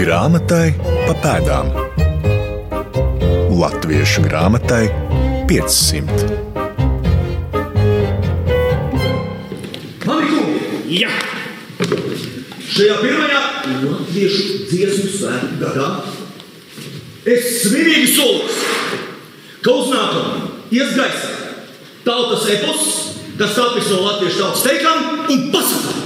Grāmatai pa pēdām. Latviešu grāmatai 500. Mani kungi! Jā! Šajā pirmajā latviešu dziesmu svētku gadā es svinīgi solos, ka uz nākamo ies gaisā tautas epos, kas tapis no latviešu tautas teikām un pasakām.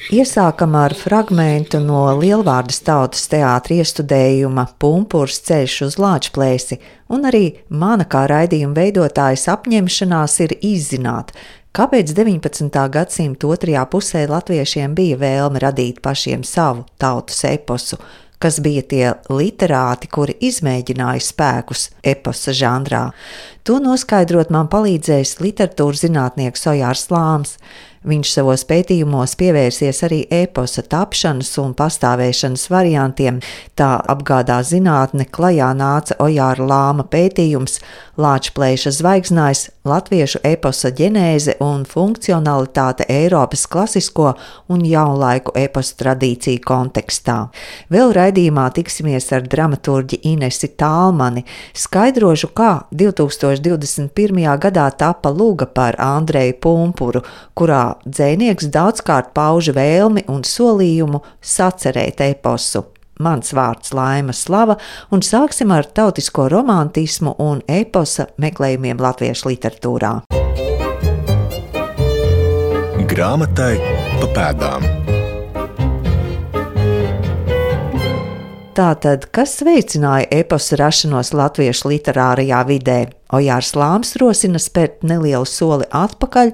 Iesākam ar fragmentu no Lielvārdas tautas teātra iestudējuma Pumpurs ceļš uz Lāčplēsi, un arī mana kā raidījuma veidotājas apņemšanās ir izzināt, kāpēc 19. gadsimta otrajā pusē latviešiem bija vēlme radīt pašiem savu tautas eposu, kas bija tie literāti, kuri izmēģināja spēkus eposa žanrā. To noskaidrot man palīdzējis literatūras zinātnieks Ojārs Lāms. Viņš savos pētījumos pievērsies arī eposa tapšanas un pastāvēšanas variantiem. Tā apgādā zinātne klajā nāca Ojāra Lāma pētījums Lāčplēša zvaigznājs, latviešu eposa ģenēze un funkcionalitāte Eiropas klasisko un jaunlaiku eposa tradīciju kontekstā. Vēl raidījumā tiksimies ar dramaturģi Inesi Tālmani, skaidrošu, kā 2021. gadā tapa luga par Andreju Pumpuru, kurā dzejnieks daudzkārt pauža vēlmi un solījumu sacerēt eposu. Mans vārds Laima Slava, un sāksim ar tautisko romantismu un eposa meklējumiem latviešu literatūrā. Grāmatai pa pēdām. Tātad, kas veicināja eposa rašanos latviešu literārajā vidē? Ojārs Lāms rosina spērt nelielu soli atpakaļ,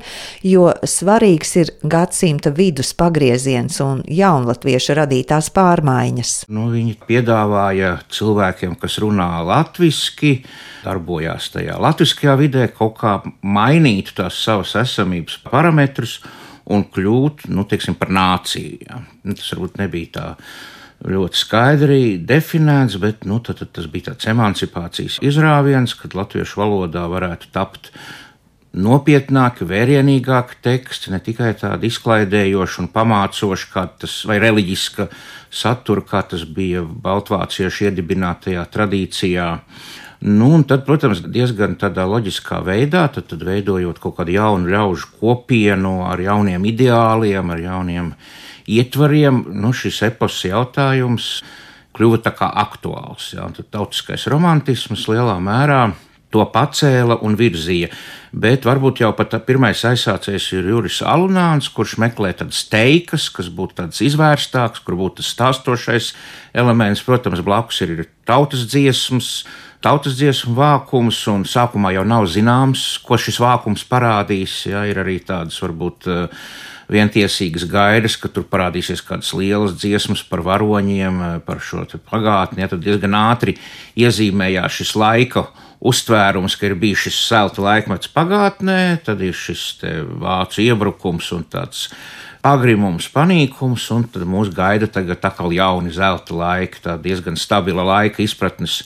jo svarīgs ir gadsimta vidus pagrieziens un jaunlatviešu radītās pārmaiņas. Viņi piedāvāja cilvēkiem, kas runā latviski, darbojās tajā latviskajā vidē, kaut kā mainīt tās savas esamības parametrus un kļūt, par nāciju. Ja. Tas varbūt nebija tā ļoti skaidri definēts, bet tas bija tāds emancipācijas izrāviens, kad latviešu valodā varētu tapt nopietnāki, vērienīgāki teksti, ne tikai tādi izklaidējoši un pamācoši, kā tas, vai reliģiska satura, kā tas bija baltvāciešu iedibinātajā tradīcijā. Un tad, protams, diezgan tādā loģiskā veidā, tad veidojot kaut kādu jaunu ļaužu kopienu ar jauniem ideāliem, ar jauniem ietvariem, šis eposa jautājums kļuva tā kā aktuāls. Ja? Tad tautiskais romantisms lielā mērā to pacēla un virzīja. Bet varbūt jau pat pirmais aizsācējs ir Juris Alunāns, kurš meklē tādas teikas, kas būtu tāds izvērstāks, kur būtu tas stāstošais elements. Protams, blakus ir tautas dziesmu vākums, un sākumā jau nav zināms, ko šis vākums parādīs. Ja? Ir arī tādas varbūt vientiesīgas gaidas, ka tur parādīsies kādas lielas dziesmas par varoņiem, par šo pagātni. Ja? Tad diezgan ātri iezīmējās šis laika uztvērums, ka ir bijis šis celta laikmets pagātnē, tad ir šis vācu iebrukums un tāds pagrimums, panīkums, un tad mūs gaida tagad atkal jauni zelta laiki, tā diezgan stabila laika izpratnes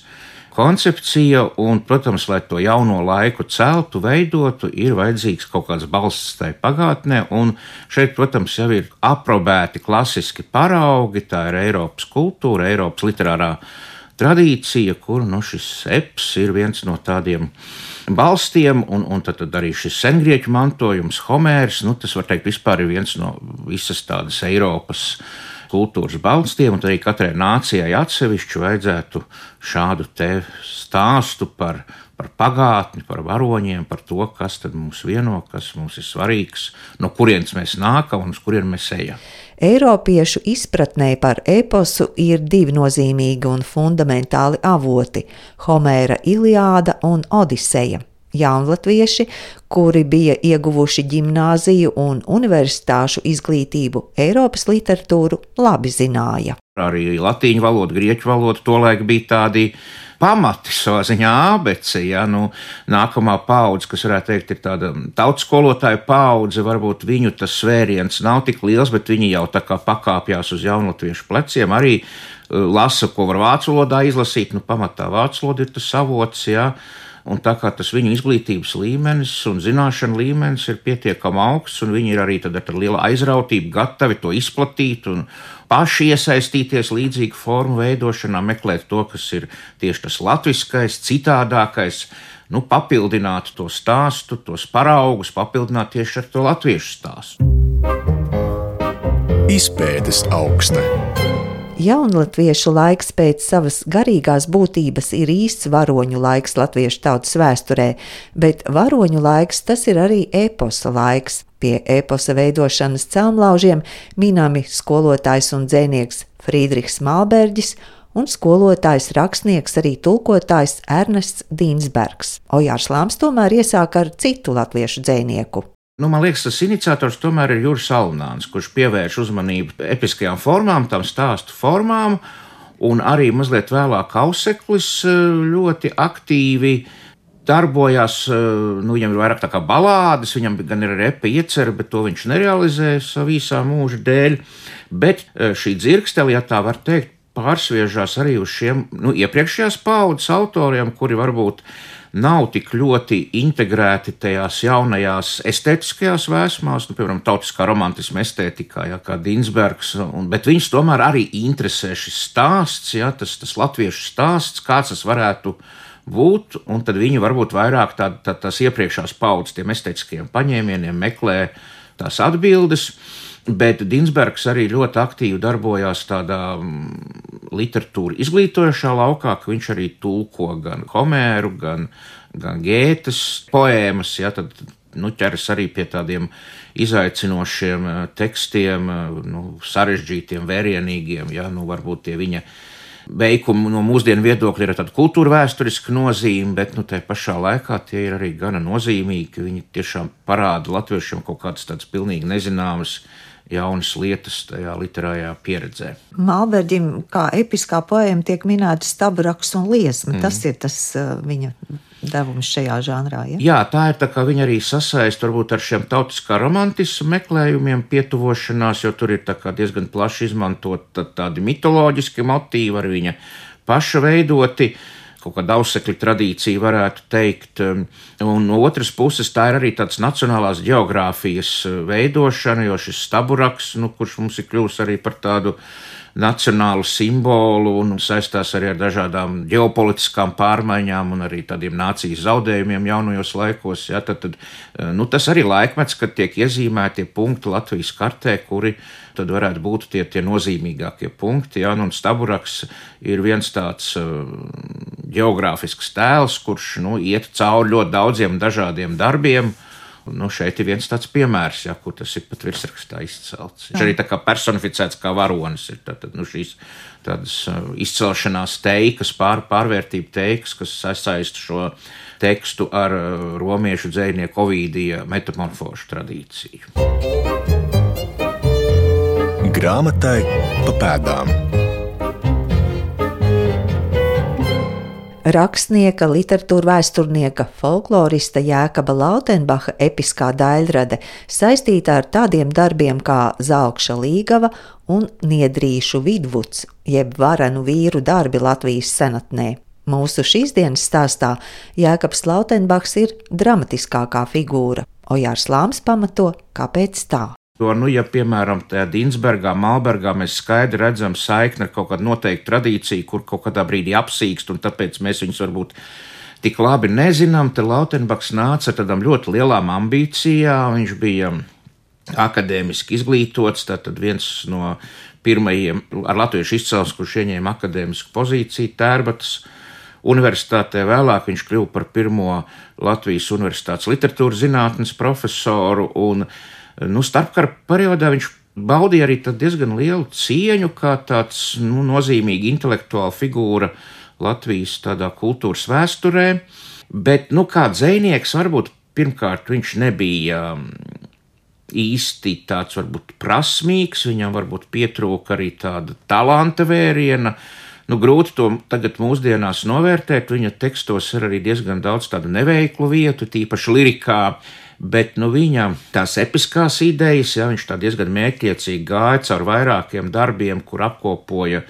koncepcija, un, protams, lai to jauno laiku celtu, veidotu, ir vajadzīgs kaut kāds balsts tai pagātnē, un šeit, protams, jau ir aprobēti klasiski paraugi, tā ir Eiropas kultūra, Eiropas literārā tradīcija, kur šis eps ir viens no tādiem balstiem, un tad arī šis sengrieķu mantojums, Homērs, tas var teikt vispār ir viens no visas tādas Eiropas kultūras balstiem, un arī katrai nācijai atsevišķi vajadzētu šādu te stāstu par pagātni, par varoņiem, par to, kas tad mūs vieno, kas mums ir svarīgs, no kurienes mēs nākam un uz kurien mēs ejam. Eiropiešu izpratnē par eposu ir divi nozīmīgi un fundamentāli avoti – Homēra Iliāda un Odiseja. Jaunlatvieši, kuri bija ieguvuši ģimnāziju un universitāšu izglītību, Eiropas literatūru labi zināja. Arī latīņu valoda, grieķu valoda tolaik bija tādi pamati savā ziņā ābece. Ja? Nākamā paudze, kas varētu teikt, ir tāda tautas skolotāja paudze, varbūt viņu tas svēriens nav tik liels, bet viņi jau tā kā pakāpjās uz jaunlatviešu pleciem, arī lasa, ko var vācu valodā izlasīt, pamatā vācu valoda ir tas avots, ja? Un tā kā tas viņu izglītības līmenis un zināšanu līmenis ir pietiekami augsts, un viņi ir arī tad ar lielu aizrautību gatavi to izplatīt un paši iesaistīties līdzīgu formu veidošanā, meklēt to, kas ir tieši tas latviskais, citādākais, papildināt to stāstu, tos paraugus, papildināt tieši ar to latviešu stāstu. Izpētes augstne. Jaunlatviešu laiks pēc savas garīgās būtības ir īsts varoņu laiks latviešu tautas vēsturē, bet varoņu laiks tas ir arī eposa laiks. Pie eposa veidošanas celmlaužiem minami skolotājs un dzejnieks Friedrichs Malberģis un skolotājs, rakstnieks, arī tulkotājs Ernests Dīnsbergs. Ojārs Lāms tomēr iesāk ar citu latviešu dzejnieku. Man liekas, tas iniciators tomēr ir Juris Alunāns, kurš pievērš uzmanību episkajām formām, tam stāstu formām, un arī mazliet vēlāk Auseklis ļoti aktīvi darbojās, viņam ir vairāk tā kā balādes, viņam gan ir repa iecerē, bet to viņš nerealizēja savu īsā mūža dēļ, bet šī dzirkstele, ja tā var teikt, pārsviežās arī uz šiem iepriekšējās paaudzes autoriem, kuri varbūt nav tik ļoti integrēti tajās jaunajās estētiskajās vēsmās, piemēram, tautiskā romantisma estētikā, kā Dīnsbergs, bet viņus tomēr arī interesē šis stāsts, tas latviešu stāsts, kāds tas varētu būt, un tad viņi varbūt vairāk tās iepriekšējās paudzes tiem estētiskajiem paņēmieniem meklē tās atbildes. Bet Dīnsbergs arī ļoti aktīvi darbojās tādā literatūra izglītojošā laukā, ka viņš arī tulko gan Homēru, gan Gētes poēmas, tad ķeras arī pie tādiem izaicinošiem tekstiem, sarežģītiem, vērienīgiem, varbūt tie viņa veikumi no mūsdienu viedokļa ir tāda kultūra vēsturiska nozīme, bet tai pašā laikā tie ir arī gana nozīmīgi, ka viņi tiešām parāda latviešiem kaut kādas tādas pilnīgi nezināmas jaunas lietas tajā literārajā pieredzē. Malberģim kā episkā poēma tiek minēta staburaks un liesma. Tas ir tas viņa devums šajā žanrā, ja? Jā, tā ir tā kā viņa arī sasaist varbūt ar šiem tautiskā romantismu meklējumiem pietuvošanās, jo tur ir tā kā diezgan plaši izmantot tādi mitoloģiski motīvi, arī viņa paša veidoti, kaut kāda Ausekļa tradīcija varētu teikt, un no otras puses tā ir arī tāds nacionālās geogrāfijas veidošana, jo šis staburaks, kurš mums ir kļūst arī par tādu nacionālu simbolu un saistās arī ar dažādām ģeopolitiskām pārmaiņām un arī tādiem nācijas zaudējumiem jaunajos laikos, tad tas arī laikmets, kad tiek iezīmēti punkti Latvijas kartē, kuri tad varētu būt tie nozīmīgākie punkti, un staburaks ir viens tāds geogrāfisks tēls, kurš iet cauri ļoti daudziem dažādiem darbiem. Šeit ir viens tāds piemērs, kur tas ir pat virsrakstā izcelts. Viņš arī tā kā personificēts kā varonis. Ir šīs tādas izcelšanās teikas, pārvērtība teikas, kas sasaista šo tekstu ar romiešu dzejnieku Ovīdija metamorfožu tradīciju. Grāmatai pa pēdām. Rakstnieka, literatūra vēsturnieka, folklorista Jēkaba Lautenbacha episkā daļrade saistīta ar tādiem darbiem kā Zalkša līgava un Niedrīšu vidvuds, jeb varenu vīru darbi Latvijas senatnē. Mūsu šīsdienas stāstā Jēkabs Lautenbachs ir dramatiskākā figūra. Ojārs Lāms pamato, kāpēc tā. Ja, piemēram, tajā Dīnsbergā, Malbergā mēs skaidri redzam saikni ar kaut kādu noteiktu tradīciju, kur kaut kādā brīdī apsīkst, un tāpēc mēs viņus varbūt tik labi nezinām, tad Lautenbachs nāca ar tādām ļoti lielām ambīcijām. Viņš bija akadēmiski izglītots, tātad viens no pirmajiem ar latviešu izcelsmes, kurš ieņēma akadēmisku pozīciju Tērbatas universitātē. Vēlāk viņš kļuva par pirmo Latvijas universitātes literatūras zinātnes profesoru, un starpkara periodā viņš baudīja arī diezgan lielu cieņu kā tāds nozīmīga intelektuāla figūra Latvijas tādā kultūras vēsturē, bet kā dzejnieks varbūt pirmkārt viņš nebija īsti tāds varbūt prasmīgs, viņam varbūt pietrūka arī tāda talanta vēriena. Grūti to tagad mūsdienās novērtēt, viņa tekstos ir arī diezgan daudz tādu neveiklu vietu, tīpaši lirikā. Bet viņa tās episkās idejas, viņš tā diezgan mērķiecīgi gāja caur vairākiem darbiem, kur apkopoja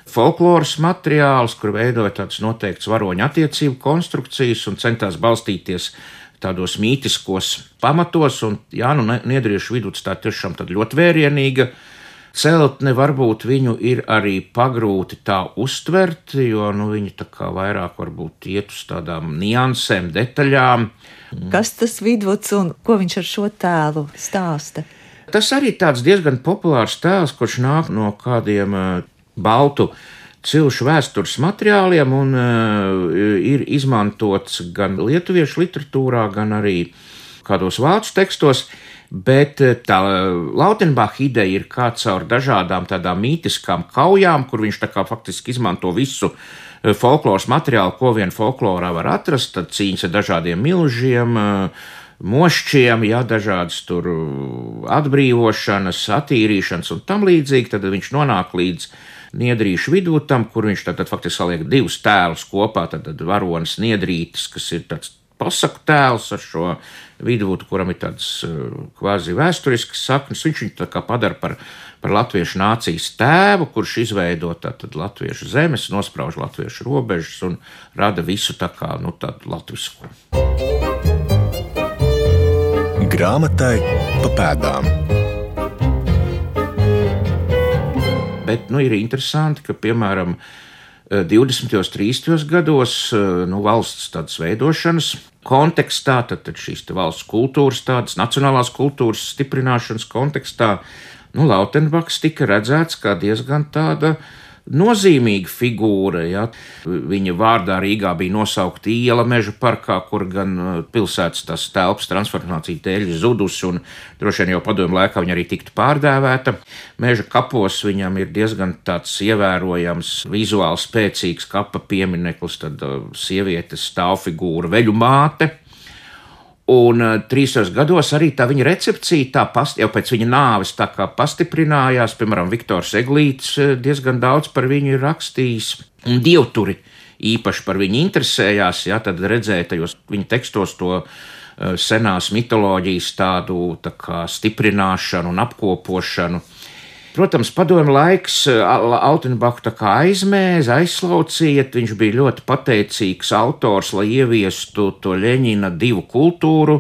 folkloras materiālus, kur veidoja tādas noteiktas varoņu attiecību konstrukcijas un centās balstīties tādos mītiskos pamatos. Un Jānu Niedriešu viduts tā tiešām tad ļoti vērienīga celtne, varbūt viņu ir arī pagrūti tā uztvert, jo viņi tā kā vairāk varbūt iet uz tādām niansēm, detaļām. Kas tas Vidvuds un ko viņš ar šo tēlu stāsta? Tas arī tāds diezgan populārs tēls, kurš nāk no kādiem baltu cilšu vēstures materiāliem un ir izmantots gan lietuviešu literatūrā, gan arī kādos vācu tekstos. Bet tā Lautenbacha ideja ir kā caur dažādām tādām mītiskām kaujām, kur viņš tā kā faktiski izmanto visu folkloras materiālu, ko vien folklorā var atrast, tad cīņas ar dažādiem milžiem, mošķiem, dažādas tur atbrīvošanas, attīrīšanas un tam līdzīgi. Tad viņš nonāk līdz Niedrīšu Vidvutam, kur viņš tad faktiski saliek divus tēlus kopā, tad varonis Niedrītis, kas ir tāds pasaku tēls ar šo Vidvudu, kuram ir tādas kvazi vēsturiskas saknes. Viņš viņu tā kā padara par latviešu nācijas tēvu, kurš izveido tātad latviešu zemes, nosprauž latviešu robežas un rada visu tā kā tādu latvisku. Grāmatai pa pēdām. Bet ir interesanti, ka piemēram 20. un 30. gados valsts tādas veidošanas kontekstā, tad šīs valsts kultūras, tādas nacionālās kultūras stiprināšanas kontekstā, Lautenbachs tika redzēts kā diezgan tāda nozīmīga figūra. Viņa vārdā Rīgā bija nosaukta iela Meža parkā, kur gan pilsētas tās telpas transformācija dēļ zudusi, un droši vien jau padomju laikā viņa arī tiktu pārdēvēta. Meža kapos viņam ir diezgan tāds ievērojams, vizuāli spēcīgs kapa piemineklis, tad sievietes stāvfigūra Veļu māte. Un 30. gados arī tā viņa recepcija jau pēc viņa nāves tā kā pastiprinājās. Piemēram, Viktors Eglītis diezgan daudz par viņu ir rakstījis, un dievturi īpaši par viņu interesējās. Tad redzēja tajos viņa tekstos to senās mitoloģijas tādu tā kā stiprināšanu un apkopošanu. Protams, padomju laiks Lautenbachu tā kā aizmēza, aizslaucīja. Viņš bija ļoti pateicīgs autors, lai ieviestu to Ļeņina divu kultūru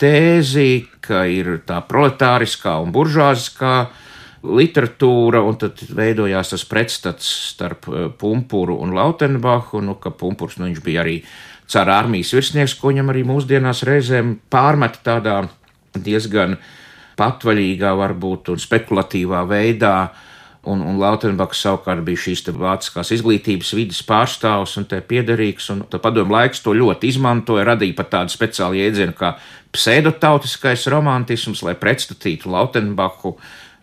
tēzi, ka ir tā proletāriskā un buržuāziskā literatūra, un tad veidojās tas pretstats starp Pumpuru un Lautenbachu, ka Pumpurs viņš bija arī cara armijas virsnieks, ko viņam arī mūsdienās reizēm pārmeta tādā diezgan patvaļīgā varbūt un spekulatīvā veidā, un Lautenbachs savukārt bija šīs vāciskās izglītības vides pārstāvs un te piederīgs, un padomju laiks to ļoti izmantoja, radīja pat tādu speciālu jēdzienu kā pseidotautiskais romantisms, lai pretstatītu Lautenbachu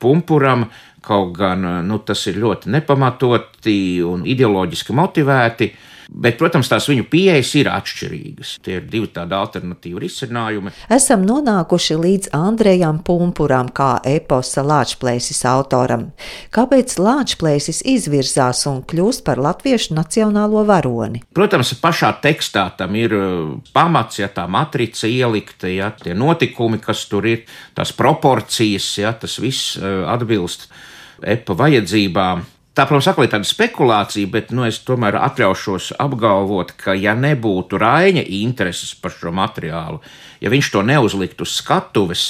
Pumpuram, kaut gan tas ir ļoti nepamatoti un ideoloģiski motivēti. Bet, protams, tās viņu pieejas ir atšķirīgas. Tie ir divi tādi alternatīvi risinājumi. Esam nonākuši līdz Andrejam Pumpuram kā eposa Lāčplēsis autoram. Kāpēc Lāčplēsis izvirzās un kļūst par latviešu nacionālo varoni? Protams, pašā tekstā tam ir pamats, tā matrica ielikta, tie notikumi, kas tur ir, tās proporcijas, tas viss atbilst epa vajadzībām. Tā, protams, atkal ir tāda spekulācija, bet es tomēr atļaušos apgalvot, ka ja nebūtu Raiņa intereses par šo materiālu, ja viņš to neuzliktu uz skatuves,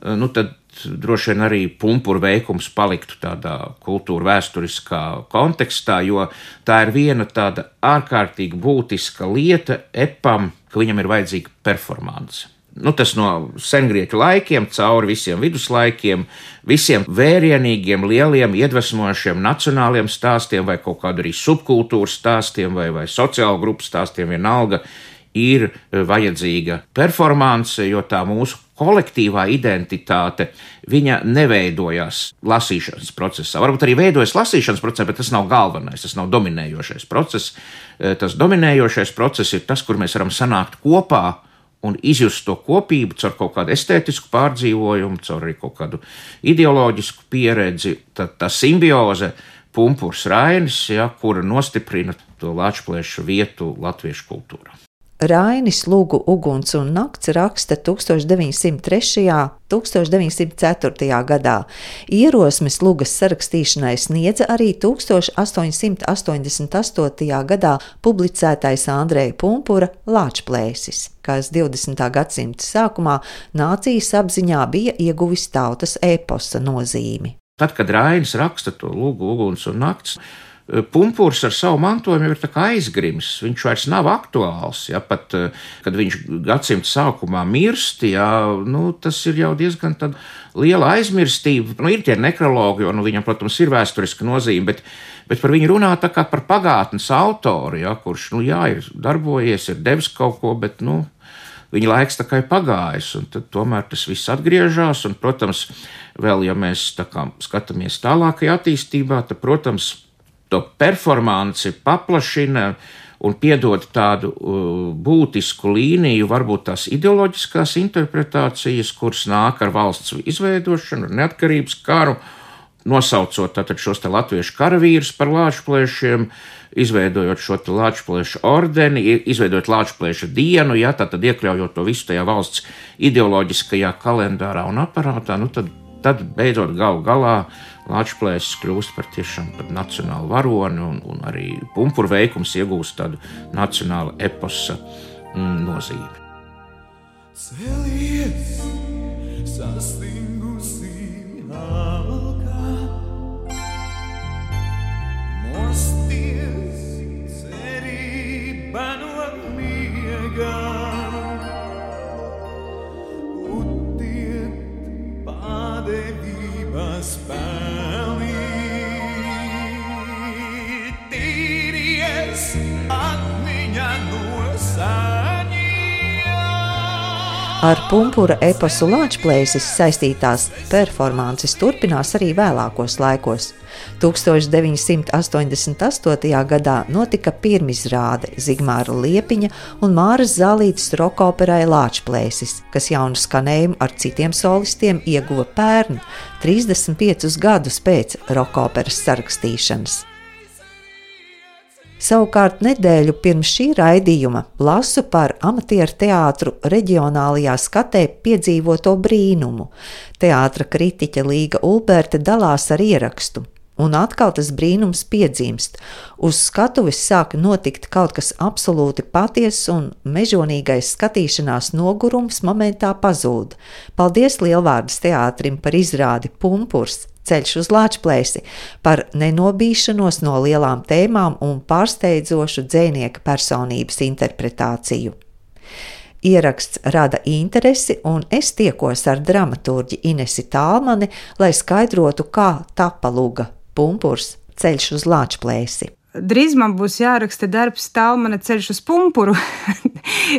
tad droši vien arī Pumpura veikums paliktu tādā kultūra vēsturiskā kontekstā, jo tā ir viena tāda ārkārtīgi būtiska lieta epam, ka viņam ir vajadzīga performance. Tas no sengrieķu laikiem, cauri visiem viduslaikiem, visiem vērienīgiem, lieliem, iedvesmojošiem nacionāliem stāstiem vai kaut kādu arī subkultūras stāstiem vai sociālu grupu stāstiem, vienalga, ir vajadzīga performance, jo tā mūsu kolektīvā identitāte, viņa neveidojās lasīšanas procesā. Varbūt arī veidojas lasīšanas procesā, bet tas nav galvenais, tas nav dominējošais process. Tas dominējošais process ir tas, kur mēs varam sanākt kopā un izjust to kopību caur kaut kādu estētisku pārdzīvojumu, caur arī kaut kādu ideoloģisku pieredzi. Tad tā simbioze Pumpurs Rainis, kura nostiprina to Lāčplēša vietu latviešu kultūrā. Rainis Lugu Uguns un nakts raksta 1903. 1904. gadā. Ierosmes lugas sarakstīšanai sniedza arī 1888. gadā publicētais Andreja Pumpura Lāčplēsis, kas 20. gadsimta sākumā nācijas apziņā bija ieguvis tautas eposa nozīmi. Tad, kad Rainis raksta to Lugu, Uguns un nakts, Pumpurs ar savu mantojumu ir tā kā aizgrims. Viņš vairs nav aktuāls. Ja, pat, kad viņš gadsimta sākumā mirst, ja, tas ir jau diezgan liela aizmirstība. Ir tie nekrologi, jo viņam, protams, ir vēsturiska nozīme, bet par viņu runā tā kā par pagātnes autoru, ja, kurš ir darbojies, ir devis kaut ko, bet viņa laiks tā kā ir pagājis, un tad tomēr tas viss atgriežas. Un, protams, vēl ja mēs tā kā skatāmies tālākajā attīstībā, tad, protams, to performanci paplašina un piedod tādu būtisku līniju, varbūt tās ideoloģiskās interpretācijas, kuras nāk ar valsts izveidošanu, neatkarības karu, nosaucot tātad šos te latviešu karavīrus par Lāčplēšiem, izveidojot šo te Lāčplēšu ordeni, izveidojot Lāčplēša dienu, ja, tātad iekļaujot to visu tajā valsts ideoloģiskajā kalendārā un aparātā, tad beidzot galu galā Lāčplēsis kļūst par tiešām par nacionālu varoni un arī Pumpura veikums iegūst tādu nacionālu eposa nozīmi. Celies, sastingusi alka, mosties, cerība no miega. Spēlī, tīries atmiņa no saņiem. Ar Pumpura eposu Lāčplēsis saistītās performances turpinās arī vēlākos laikos. 1988. gadā notika pirmizrāde Zigmāra Liepiņa un Māras Zālītes rokoperai Lāčplēsis, kas jaunu skanējumu ar citiem solistiem ieguva pērn, 35 gadus pēc rokoperas sarakstīšanas. Savukārt nedēļu pirms šī raidījuma lasu par amatieru teātru reģionālajā skatē piedzīvoto brīnumu. Teātra kritiķe Līga Ulberte dalās ar ierakstu. Un atkal tas brīnums piedzimst. Uz skatuves sāk notikt kaut kas absolūti patiess un mežonīgais skatīšanās nogurums momentā pazūd. Paldies Lielvārdas teātrim par izrādi Pumpurs, ceļš uz Lāčplēsi, par nenobīšanos no lielām tēmām un pārsteidzošu dzejnieka personības interpretāciju. Ieraksts rada interesi, un es tiekos ar dramaturģi Inesi Tālmani, lai skaidrotu, kā tapa luga Pumpurs, ceļš uz Lāčplēsi. Drīz man būs jāraksta darbs Tālmana ceļš uz Pumpuru,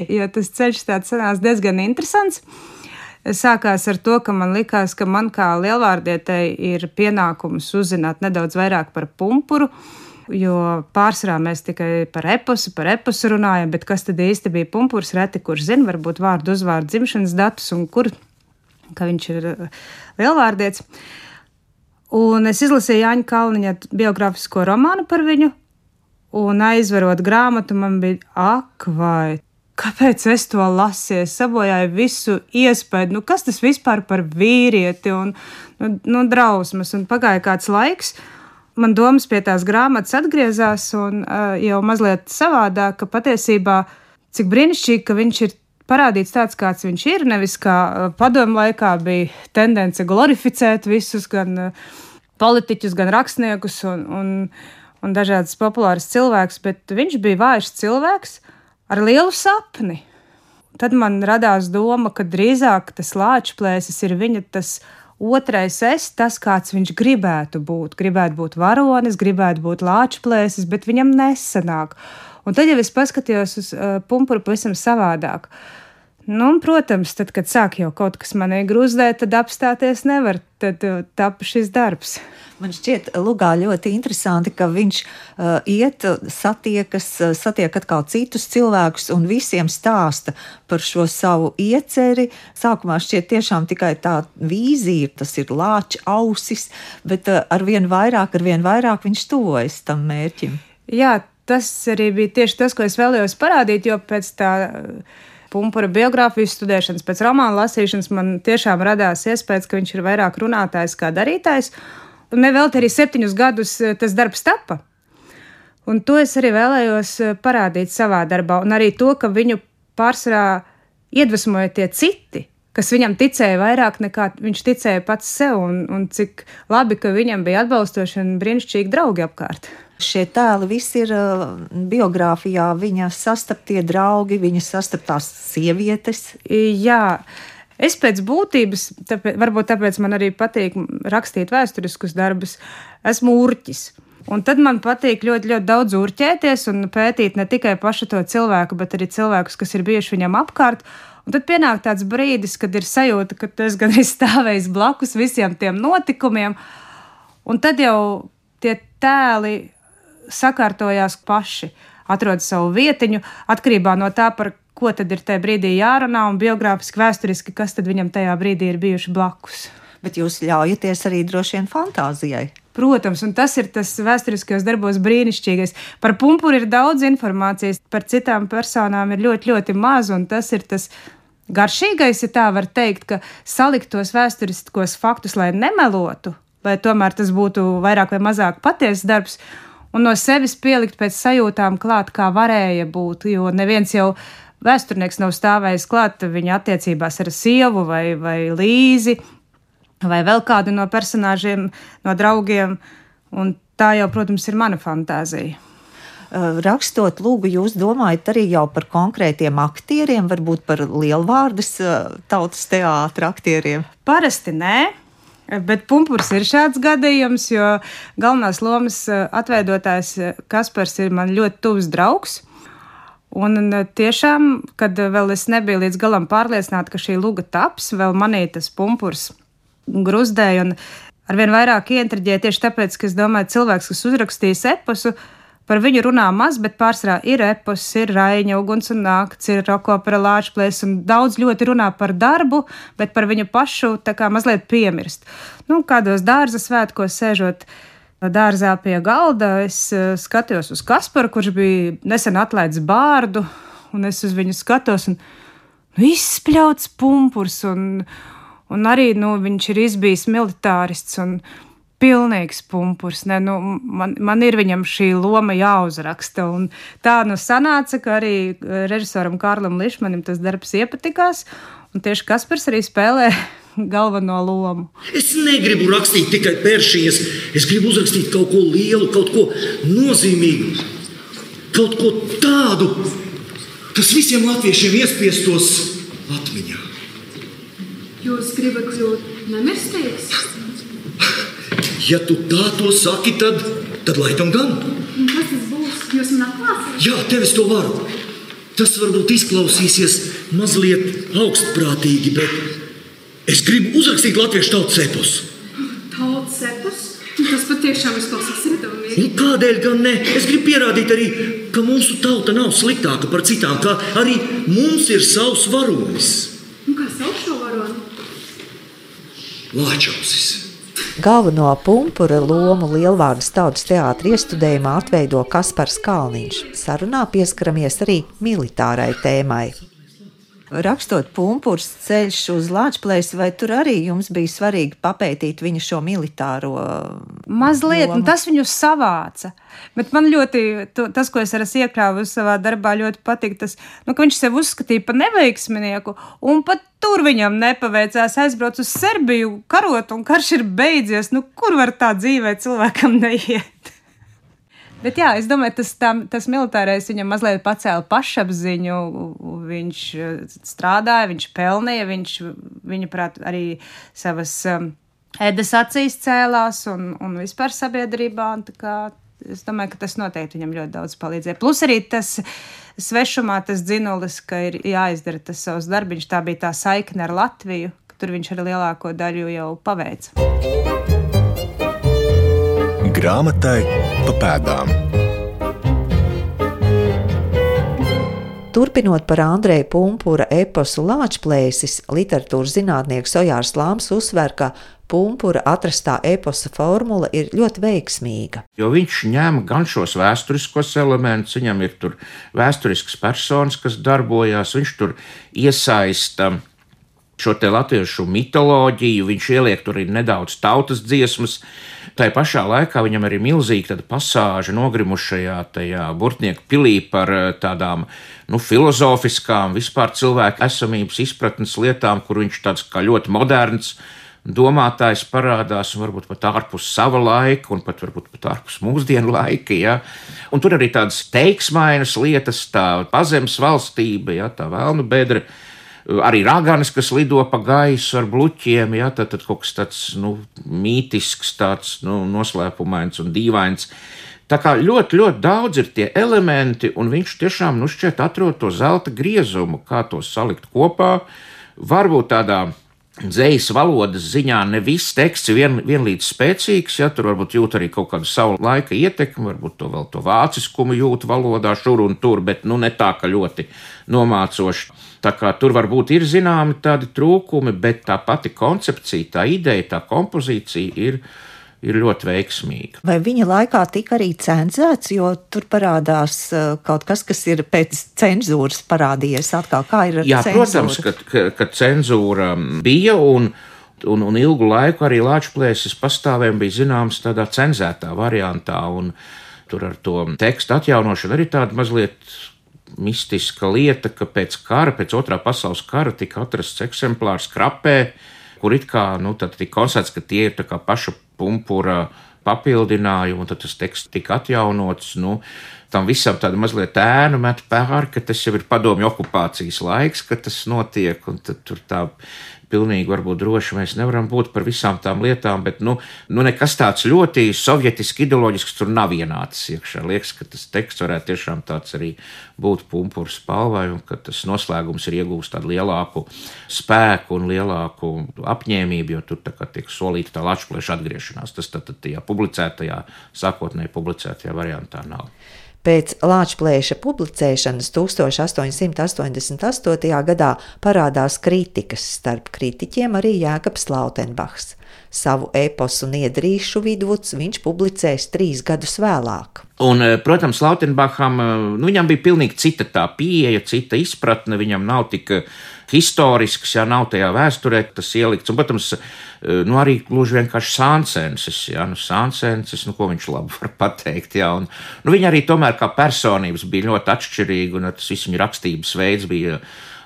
jo tas ceļš tāds sanās diezgan interesants. Sākās ar to, ka man likās, ka man kā lielvārdietei ir pienākums uzzināt nedaudz vairāk par Pumpuru, jo pārsvarā mēs tikai par eposu runājam, bet kas tad īsti bija Pumpurs, reti kurš zina, varbūt vārdu, uzvārdu, dzimšanas datus un ka viņš ir lielvārdietis. Un es izlasīju Jāņa Kalniņa biogrāfisko romānu par viņu, un aizverot grāmatu man bija vai kāpēc es to lasīju? Es sabojāju visu iespēju, kas tas vispār par vīrieti un drausmas. Un pagāja kāds laiks, man domas pie tās grāmatas atgriezās un jau mazliet savādāk, ka patiesībā cik brīnišķīgi, ka viņš ir parādīts tāds, kāds viņš ir, nevis kā padomu laikā bija tendence glorificēt visus, gan politiķus, gan rakstniekus un dažādas populāras cilvēkus, bet viņš bija vājš cilvēks ar lielu sapni. Tad man radās doma, ka drīzāk tas Lāčplēsis ir viņa tas otrais es, tas, kāds viņš gribētu būt. Gribētu būt varonis, gribētu būt Lāčplēsis, bet viņam nesanāk. Un tad jau es paskatījos uz Pumpuru pavisam savādāk. Protams, tad, kad sāk jau kaut kas manī grūzdēt, tad apstāties nevar, tad tapa šis darbs. Man šķiet, lugā ļoti interesanti, ka viņš satiek atkal citus cilvēkus un visiem stāsta par šo savu ieceri. Sākumā šķiet tiešām tikai tā vīzija, tas ir lāča ausis, bet arvien vairāk viņš tuvojas tam mērķim. Jā, tas arī bija tieši tas, ko es vēlējos parādīt, jo pēc tā Pumpura biogrāfijas studēšanas, pēc romāna lasīšanas man tiešām radās iespējas, ka viņš ir vairāk runātājs kā darītājs. Un nevelti arī 7 gadus tas darbs tapa. Un to es arī vēlējos parādīt savā darbā. Un arī to, ka viņu pārsvarā iedvesmoja tie citi, kas viņam ticēja vairāk nekā viņš ticēja pats sev, un cik labi, ka viņam bija atbalstoši un brīnišķīgi draugi apkārt. Šie tēli visi ir biogrāfijā, viņa sastaptie draugi, viņa sastaptās sievietes. Jā, es pēc būtības, varbūt tāpēc man arī patīk rakstīt vēsturiskus darbus, esmu urķis. Un tad man patīk ļoti, ļoti daudz urķēties un pētīt ne tikai pašu to cilvēku, bet arī cilvēkus, kas ir bijuši viņam apkārt. Un tad pienāk tāds brīdis, kad ir sajūta, ka tu esi gandrīz stāvējis blakus visiem tiem notikumiem, un tad jau tie tēli sakārtojās paši, atrod savu vietiņu, atkarībā no tā, par ko tad ir tajā brīdī jārunā, un biogrāfiski, vēsturiski, kas tad viņam tajā brīdī ir bijuši blakus. Bet jūs ļaujaties arī droši vien fantāzijai. Protams, un tas ir tas vēsturiskajos darbos brīnišķīgais. Par Pumpuru ir daudz informācijas, par citām personām ir ļoti, ļoti maz, un tas ir tas garšīgais, ja tā var teikt, ka salikt tos vēsturiskos faktus, lai nemelotu, lai tomēr tas būtu vairāk vai mazāk patiesas darbs, un no sevis pielikt pēc sajūtām klāt, kā varēja būt, jo neviens jau vēsturnieks nav stāvējis klāt viņa attiecībās ar sievu vai Līzi, vai vēl kādu no personāžiem, no draugiem, un tā jau, protams, ir mana fantāzija. Rakstot lūgu, jūs domājat arī jau par konkrētiem aktieriem, varbūt par lielvārdas tautas teātra aktieriem? Parasti nē, bet Pumpurs ir šāds gadījums, jo galvenās lomas atveidotājs Kaspars ir man ļoti tuvs draugs. Un tiešām, kad vēl es nebiju līdz galam pārliecināta, ka šī luga taps, vēl manī tas Pumpurs gruzdēja un arvien vairāk ieintriģēja tieši tāpēc, ka es domāju, cilvēks, kas uzrakstījis eposu, par viņu runā maz, bet pārsvarā ir epos, ir Raiņa, Uguns un nakts, ir Rokopera Lāčplēs, un daudz ļoti runā par darbu, bet par viņu pašu tā kā mazliet piemirst. Kādos dārza svētkos sēžot dārzā pie galda, es skatījos uz Kasparu, kurš bija nesen atlaists bārdu, un es uz viņu skatos, un izspļauts Pumpurs, un arī viņš ir izbijis militārists un pilnīgs Pumpurs. Man ir viņam šī loma jāuzraksta. Un tā sanāca, ka arī režisoram Kārlim Lišmanim tas darbs iepatikās, un tieši Kaspars arī spēlē galveno lomu. Es negribu rakstīt tikai peršijas, es gribu uzrakstīt kaut ko lielu, kaut ko nozīmīgu, kaut ko tādu, kas visiem latviešiem iespiestos atmiņā. Jūs gribat kļūt nemirstīgs? Ja tu tā to saki, tad laikam gan. Un kas tas būs? Jūs man atklāsiet? Jā, tev es to varu. Tas varbūt izklausīsies mazliet augstprātīgi, bet es gribu uzrakstīt latviešu tautas eposu. Tautas epos? Tas patiešām izklausās iedomīgi. Un kādēļ gan ne? Es gribu pierādīt arī, ka mūsu tauta nav sliktāka par citām, ka arī mums ir savs varonis. Un kā sauc šo varoni? Lāčausis. Galveno Pumpura lomu Lielvārdas tautas teātra iestudējumā atveido Kaspars Kalniņš. Sarunā pieskaramies arī militārai tēmai. Rakstot Pumpurs ceļš uz Lāčplēsi, vai tur arī jums bija svarīgi papētīt viņa šo militāro mazliet, lomu? Un tas viņu savāca. Bet man ļoti, tas, ko es arī iekļāvu savā darbā, ļoti patīk tas, ka viņš sev uzskatīja par neveiksminieku, un pat tur viņam nepaveicās, aizbrauc uz Serbiju karot, un karš ir beidzies. Kur var tā dzīvē cilvēkam neiet? Bet jā, es domāju, tas militārais viņam mazliet pacēla pašapziņu, viņš strādāja, viņš pelnīja, viņa prāt arī savas ēdas acīs cēlās un vispār sabiedrībā, un tā kā es domāju, ka tas noteikti viņam ļoti daudz palīdzēja. Plus arī tas svešumā, tas dzinulis, ka ir jāizdara tas savs darbiņš, tā bija tā saikne ar Latviju, ka tur viņš arī lielāko daļu jau paveica. Grāmatai pa pēdām. Turpinot par Andreja Pumpura eposu Lāčplēsis, literatūras zinātnieks Ojārs Lāms uzsver, ka Pumpura atrastā eposa formula ir ļoti veiksmīga. Jo viņš ņem gan šos vēsturiskos elementus, viņam ir tur vēsturisks personas, kas darbojās, viņš tur iesaista šo te latviešu mitoloģiju, viņš ieliek tur arī nedaudz tautas dziesmas. Tai pašā laikā viņam arī milzīgi tāda pasāža nogrimušajā tajā Burtnieku pilī par tādām filozofiskām, vispār cilvēku esamības izpratnes lietām, kur viņš tāds kā ļoti moderns domātājs parādās, un varbūt pat ārpus sava laika, un varbūt pat ārpus mūsdienu laika. Ja? Un tur arī tādas teiksmainas lietas, tā pazemes valstība, ja? Tā vēlnu bedra, arī raganas, kas lido pa gaisu ar bluķiem, ja? Tad kaut kas tāds mītisks, tāds noslēpumains un dīvains. Tā kā ļoti, ļoti daudz ir tie elementi, un viņš tiešām šķiet atrod to zelta griezumu, kā to salikt kopā. Varbūt tādā dzejas valodas ziņā ne viss teksts ir vienlīdz spēcīgs, ja tur varbūt jūt arī kaut kādu savu laika ietekmi, varbūt to vāciskumu jūt valodā šur un tur, bet ne tā, ka ļoti nomācoši. Tā kā tur varbūt ir zināmi tādi trūkumi, bet tā pati koncepcija, tā ideja, tā kompozīcija ir ļoti veiksmīga. Vai viņa laikā tika arī cenzēts, jo tur parādās kaut kas, kas ir pēc cenzūras parādījies atkal? Kā ir ar cenzūru? Protams, ka cenzūra bija un ilgu laiku arī Lāčplēsis pastāvēm bija zināms tādā cenzētā variantā, un tur ar to tekstu atjaunošanu arī tāda mazliet mistiska lieta, ka pēc otrā pasaules kara tika atrasts eksemplārs Krapē, kur it kā, tad tika konstatēts, ka tie ir tā kā paša Pumpura papildinājumi, un tad tas teksts tika atjaunots, tam visam tāda mazliet ēnu met pāri, ka tas jau ir padomju okupācijas laiks, ka tas notiek, un tad tur tā pilnīgi varbūt droši mēs nevaram būt par visām tām lietām, bet nekas tāds ļoti sovietiski ideoloģisks tur nav ienācis iekšā. Liekas, ka tas teksts varētu tiešām tāds arī būt Pumpura spalvai, un ka tas noslēgums ir iegūst tādu lielāku spēku un lielāku apņēmību, jo tur tā kā tiek solīta tā Lāčplēša atgriešanās. Tas tad tajā sākotnēji publicētajā variantā nav. Pēc Lāčplēša publicēšanas 1888. gadā parādās kritikas, starp kritiķiem arī Jēkabs Lautenbachs. Savu eposu Niedrīšu vidvuds viņš publicēs 3 gadus vēlāk. Un, protams, Lautenbacham, viņam bija pilnīgi cita tā pieeja, cita izpratne, viņam nav tik historisks, ja nav tajā vēsturē tas ielikts, un, protams, arī gluži vienkārši Sāncenses, Sāncenses, ko viņš labi var pateikt, un viņi arī tomēr kā personības bija ļoti atšķirīgi, un tas viss viņa rakstības veids bija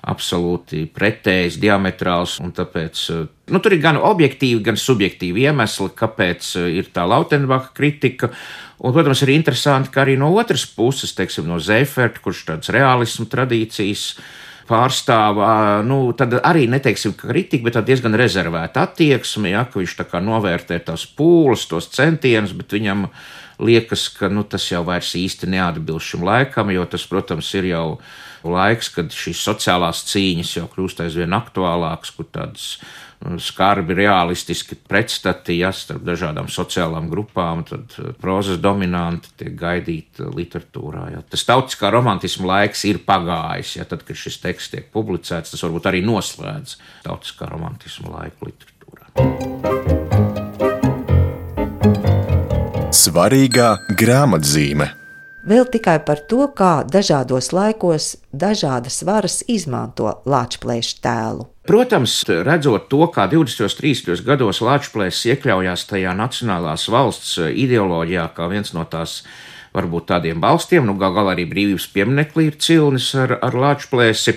absolūti pretējs, diametrāls, un tāpēc, tur ir gan objektīvi, gan subjektīvi iemesli, kāpēc ir tā Lautenbacha kritika, un, protams, ir interesanti, ka arī no otras puses, teiksim, no Zeiferta, kurš tāds realismu tradīcijas pārstāv, tad arī neteiksim, ka kritika, bet tā diezgan rezervēta attieksme, ka viņš tā kā novērtē tās pūles, tos centienus, bet viņam liekas, ka tas jau vairs īsti neatbilst šim laikam, jo tas, protams, ir jau laiks, kad šīs sociālās cīņas jau kļūst aizvien aktuālākas, kur tādas skarbi, realistiski pretstati, starp dažādām sociālām grupām, tad prozas dominanti tiek gaidīta literatūrā. Tas tautiskā romantisma laiks ir pagājis, tad, kad šis teksts tiek publicēts, tas varbūt arī noslēdz tautiskā romantisma laiku literatūrā. Svarīgā grāmatzīme. Vēl tikai par to, kā dažādos laikos dažādas varas izmanto Lāčplēša tēlu. Protams, redzot to, kā 20. un 30. gados Lāčplēsis iekļaujās tajā nacionālās valsts ideoloģijā, kā viens no tās varbūt tādiem balstiem, gal arī brīvības pieminekli ir cilnis ar Lāčplēsi.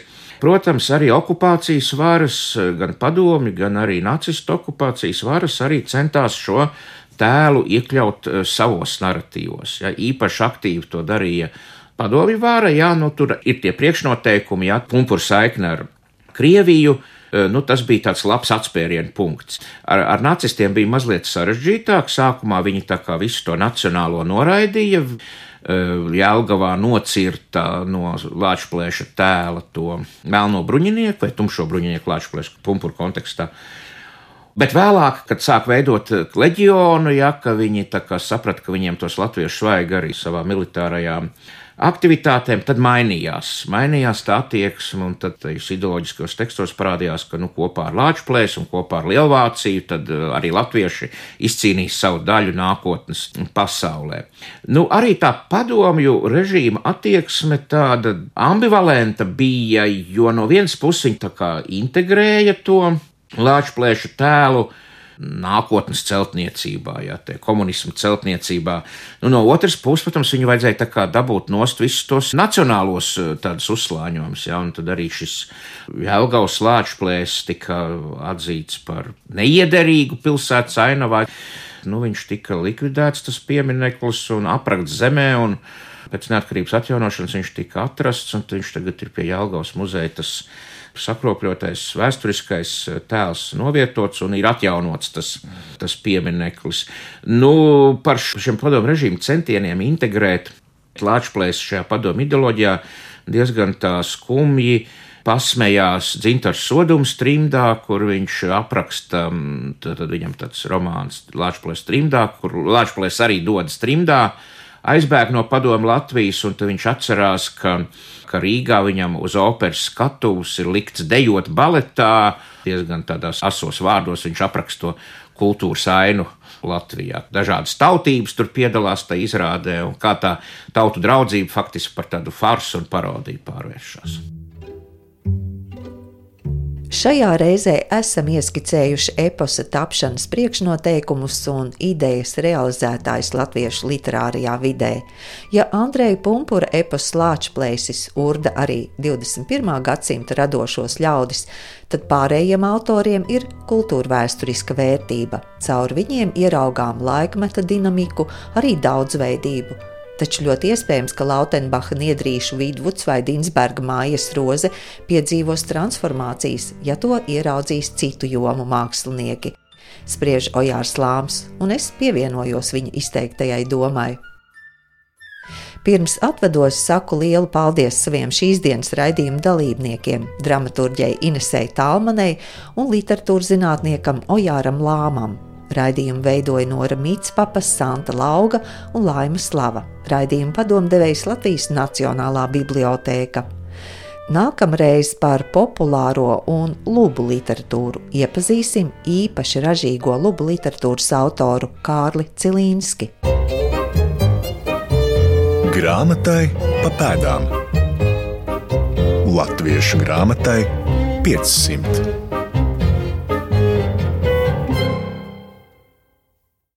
Protams, arī okupācijas varas, gan padomju, gan arī nacistu okupācijas varas arī centās šo tēlu iekļaut savos naratīvos. Īpaši aktīvi to darīja padomju vara, tur ir tie priekšnoteikumi, Pumpura saikne ar Krieviju, tas bija tāds labs atspērienu punkts. Ar nacistiem bija mazliet sarežģītāk, sākumā viņi tā kā visu to nacionālo noraidīja, Jelgavā nocirta no Lāčplēša tēla to melno bruņinieku vai tumšo bruņinieku Lāčplēša Pumpura kontekstā. Bet vēlāk, kad sāk veidot leģionu, ka viņi tā kā saprata, ka viņiem tos latviešu vajag arī savā militārajā aktivitātēm, tad mainījās tā attieksme, un tad ideoloģiskos tekstos parādījās, ka kopā ar Lāčplēsi un kopā ar Lielvāciju tad arī latvieši izcīnīs savu daļu nākotnes pasaulē. Arī tā padomju režīma attieksme tāda ambivalenta bija, jo no vienas puses viņi tā kā integrēja to Lāčplēšu tēlu nākotnes celtniecībā, komunismu celtniecībā. No otras puses, protams, viņu vajadzēja tā kā dabūt nost visus tos nacionālos tādus uzslāņojumus, un tad arī šis Jelgavas Lāčplēsis tika atzīts par neiederīgu pilsētas ainavā. Viņš tika likvidēts, tas piemineklis, un aprakts zemē, un pēc neatkarības atjaunošanas viņš tika atrasts, un viņš tagad ir pie Jelgavas muzeja tas sakropļotais vēsturiskais tēls novietots un ir atjaunots tas piemineklis. Par šiem padomu režīmu centieniem integrēt Lāčplēsi šajā padomu ideoloģijā diezgan tā skumji pasmējās Dzintars Sodums trimdā, kur viņš apraksta, tad viņam tāds romāns Lāčplēsis trimdā, kur Lāčplēsis arī dodas trimdā, aizbēg no padomu Latvijas, un tad viņš atcerās, ka Rīgā viņam uz operas skatuves ir likts dejot baletā, diezgan tādās asos vārdos viņš apraksta to kultūras ainu Latvijā. Dažādas tautības tur piedalās tajā izrādē, un kā tā tautu draudzība faktiski par tādu farsu un parodiju pārvēršas. Šajā reizē esam ieskicējuši eposa tapšanas priekšnoteikumus un idejas realizētājs latviešu literārajā vidē. Ja Andreja Pumpura epos Lāčplēsis urda arī 21. gadsimta radošos ļaudis, tad pārējiem autoriem ir kultūrvēsturiska vērtība. Caur viņiem ieraugām laikmeta dinamiku, arī daudzveidību. Taču ļoti iespējams, ka Lautenbacha, Niedrīšu, Vidvuds vai Dinsberga Mājas Roze piedzīvos transformācijas, ja to ieraudzīs citu jomu mākslinieki. Spriež Ojārs Lāms, un es pievienojos viņa izteiktajai domai. Pirms atvados saku lielu paldies saviem šīs dienas raidījuma dalībniekiem, dramaturģei Inesei Talmanei un literatūrzinātniekam Ojāram Lāmam. Raidījumu veidoja Nora Mītspapa, Santa Lauga un Laima Slava. Raidījumu padomdevējs Latvijas Nacionālā bibliotēka. Nākamreiz par populāro un lubu literatūru iepazīsim īpaši ražīgo lubu literatūras autoru Kārli Cilīnski. Grāmatai pa pēdām. Latviešu grāmatai 500.